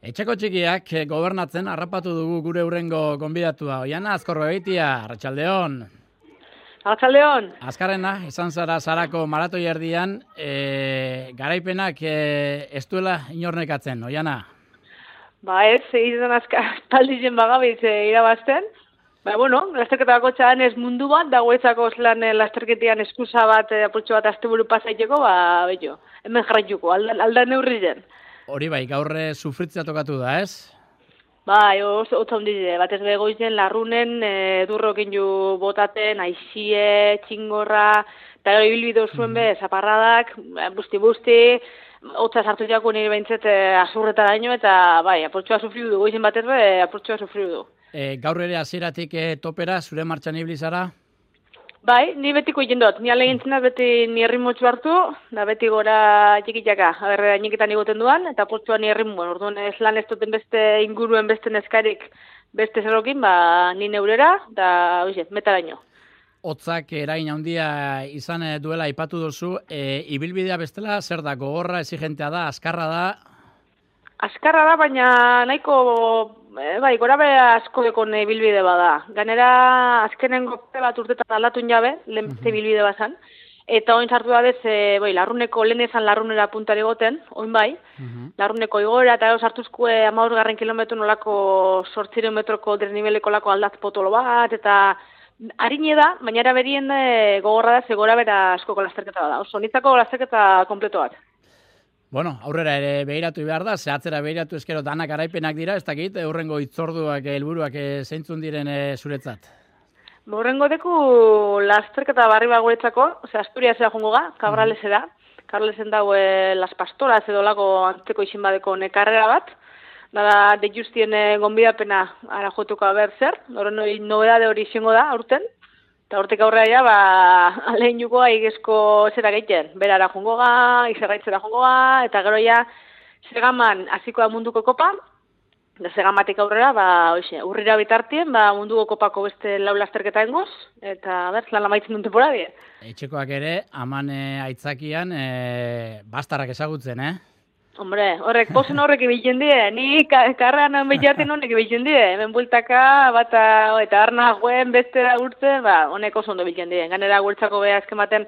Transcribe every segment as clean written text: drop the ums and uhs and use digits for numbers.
Etxeko txikiak gobernatzen harrapatu dugu gure hurrengo gonbidatua. Oiana Azkorrobetia, Arratsaldeon. Arratsaldeon. Azkarrena, izan zara Sarako maratoi erdian, garaipenak ez duela inornekatzen, Oiana? Ba ez, izan aspaldizen bagabiz irabazten. Lasterketako txadan ez mundu bat, dagoetzako zelan lasterketian eskusa bat, apurtxo bat asteburu pasaiteko, hemen jarraituko, alda neurri zen. Hori bai, gaur sufritzea tokatu da, ez? Bai, oso ondide, batez begoizen, larrunen, durrokin ju botaten, aixie, txingorra, eta gero ibilbide zuen be, zaparradak, busti, hotza sartu jako nire behintzet azurreta daño, eta bai, apurtxoa sufriu du, goizen batez be, apurtxoa sufriu du. Gaur ere hasieratik topera, zure martxan ibilizara? Bai, ni betiko egin dut. Ni alegintzen da beti ni erritmotxu hartu, da beti gora txikitxaka. Niketan igoten duan, eta portzua ni erritmoen. Orduan ez lan ez duten beste inguruen beste neskarik beste zerokin, ni neurera, da metaraino. Hotzak eragin handia izan duela aipatu duzu, ibilbidea bestela zer da, gogorra, exigentea da, azkarra da? Azkarra da, baina nahiko, gora bera asko dekon bilbide bada. Ganera, azkenengo bat urtetan aldatun jabe, lehen beste bilbide bazan. Eta oin sartu da bez, larruneko, lehen ezan larrunera puntari goten, oin bai. Larruneko igora eta sartuzkue 15 kilometro nolako 800 metroko desniveleko lako aldatz potolo bat, eta harine da, baina era berien gogorra da, ze gora bera askoko lasterketa bada. Oso, nitzako lasterketa kompleto bat. Bueno, aurrera ere behiratu behar da, zehatzera behiratu eskero danak garaipenak dira, ez dakit, hurrengo hitzorduak, helburuak zeintzun diren zuretzat? Hurrengo deku lasterketa barri baguretzako, Asturiasera jongo ga, Cabralesera. Cabralesen dago Las Pastoras edo lago antzeko isin badeko nekarrera bat. Da de justien gonbidapena ara jotuko haber zer, horren nobedade hori izango da aurten. Eta hortik aurrera lehen jukoa igezko zera gehiten. Berara jongo ga, izerraitzera jongo ga, eta gero segaman hasiko da munduko kopa, da segamatik aurrera, urrira bitartien, munduko kopako beste lau lasterketa engoz, eta lan amaitzen duen temporadie. Etxekoak ere, aman aitzakian, bastarrak ezagutzen, Hombre, posen horrek ibiltzen die, ni karrean behiatzen honek ibiltzen die, hemen bultaka, eta arna joen bestera urtzen, honek oso ondo ibiltzen die. Ganera gurtzako beha ezkematen,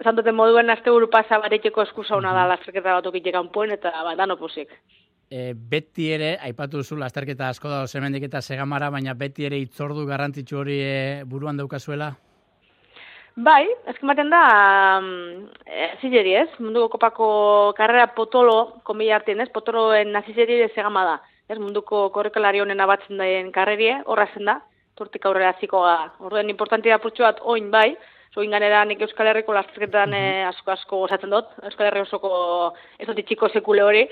zantoten moduen asteburu pasa bareteko eskusa hona da lasterketa bat okitxekan poen, eta dano posik. Beti ere, aipatu duzu lasterketa asko da hemendik eta segamara, baina beti ere hitzordu garrantzitsu hori buruan daukazuela? Bai, ezkematen da, zilleri ez, munduko kopako karrera potolo, konbila hartien ez, potoloen nazizeri segama da. Munduko korrekalari honen abatzen daien karrerie, horra zen da, tortik aurrera ziko ga. Horren importantia purtsu bat oin bai, oin ganera nik Euskal Herriko lasterketan asko gozatzen dut, Euskal Herri osoko ez dut itxiko sekule hori,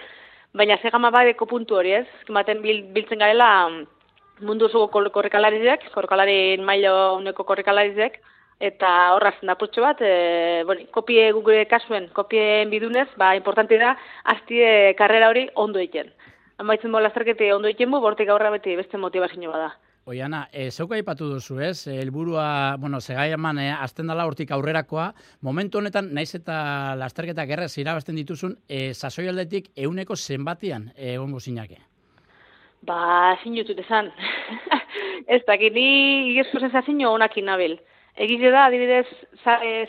baina segama badeko puntu hori ez, ezkematen biltzen garela mundu osoko korrekalarizek, korrekalari mailo honeko korrekalarizek, eta horrazen da purtsu bat, kopie gure kasuen, kopien bidunez, importante da, aztie karrera hori ondo egiten. Amaitzen lasterkete ondo egiten bortik aurra beti beste motivazio bada. Oiana, zeuka aipatu duzu ez, helburua, segaiaman azten dela hortik aurrerakoa, momentu honetan, naiz eta lasterketak errez irabazten dituzun, sasoi aldetik 100 zenbatian egongo zinake? Zin jutut esan. Ez dakit, ni igezko sensazio honakin nabil. Egize da, adibidez,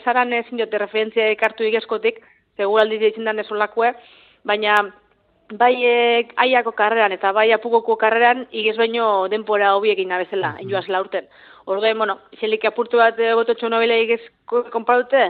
zaran ezin jote referentzia ekartu igezkotik, seguraldiz ditzen dan ezolakue, baina bai aiako karreran eta bai apukoko karreran igez baino denpora hobiekin nabezela, enjoazela urten. Orduen, izelik apurtu bat gototxo nobile igezko konparute,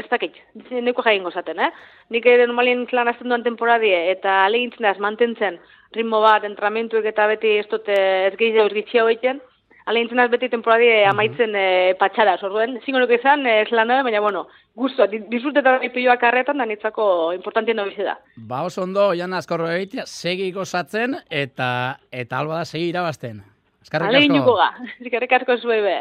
ez dakit, neko jain gozaten, Nik normalien lan azten duan temporadie eta alegintzen da, mantentzen ritmo bat, entramentuek eta beti ez dute ez gehiago ergitxia hoiten, alegintzen az beti temporadie amaitzen patxaraz, orduen, zingo nuke izan, ez lan nabe, baina, guztua, disfrutetan ipioak karretan, da nitzako importantien nobize da. Oso ondo, Oiana Azkorrobetia, segi gozatzen, eta alba da segi irabazten. Alegin juko ga, eskerrik asko zuei be.